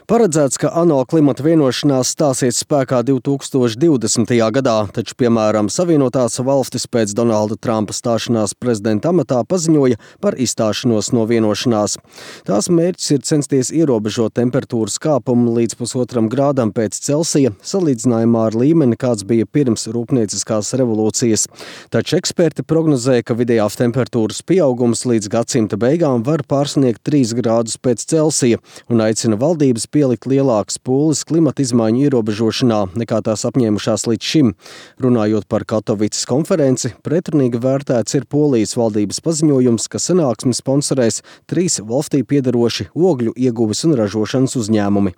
Paredzēts, ka ANO klimata vienošanās stāsies spēkā 2020. gadā, taču, piemēram, Savienotās valstis pēc Donalda Trumpa stāšanās prezidenta amatā paziņoja par izstāšanos no vienošanās. Tās mērķis ir censties ierobežot temperatūras kāpumu līdz 1,5 grādam pēc Celsija, salīdzinājumā ar līmeni, kāds bija pirms rūpnieciskās revolūcijas. Taču eksperti prognozē, ka vidējās temperatūras pieaugums līdz gadsimta beigām var pārsniegt 3 grādus pēc Celsija un aicina valdības pielikt lielākas pūles klimata izmaiņu ierobežošanā, nekā tās apņēmušās līdz šim. Runājot par Katovicas konferenci, pretrunīgi vērtēts ir Polijas valdības paziņojums, ka sanāksmi sponsorēs 3 valstī piederoši ogļu ieguves un ražošanas uzņēmumi.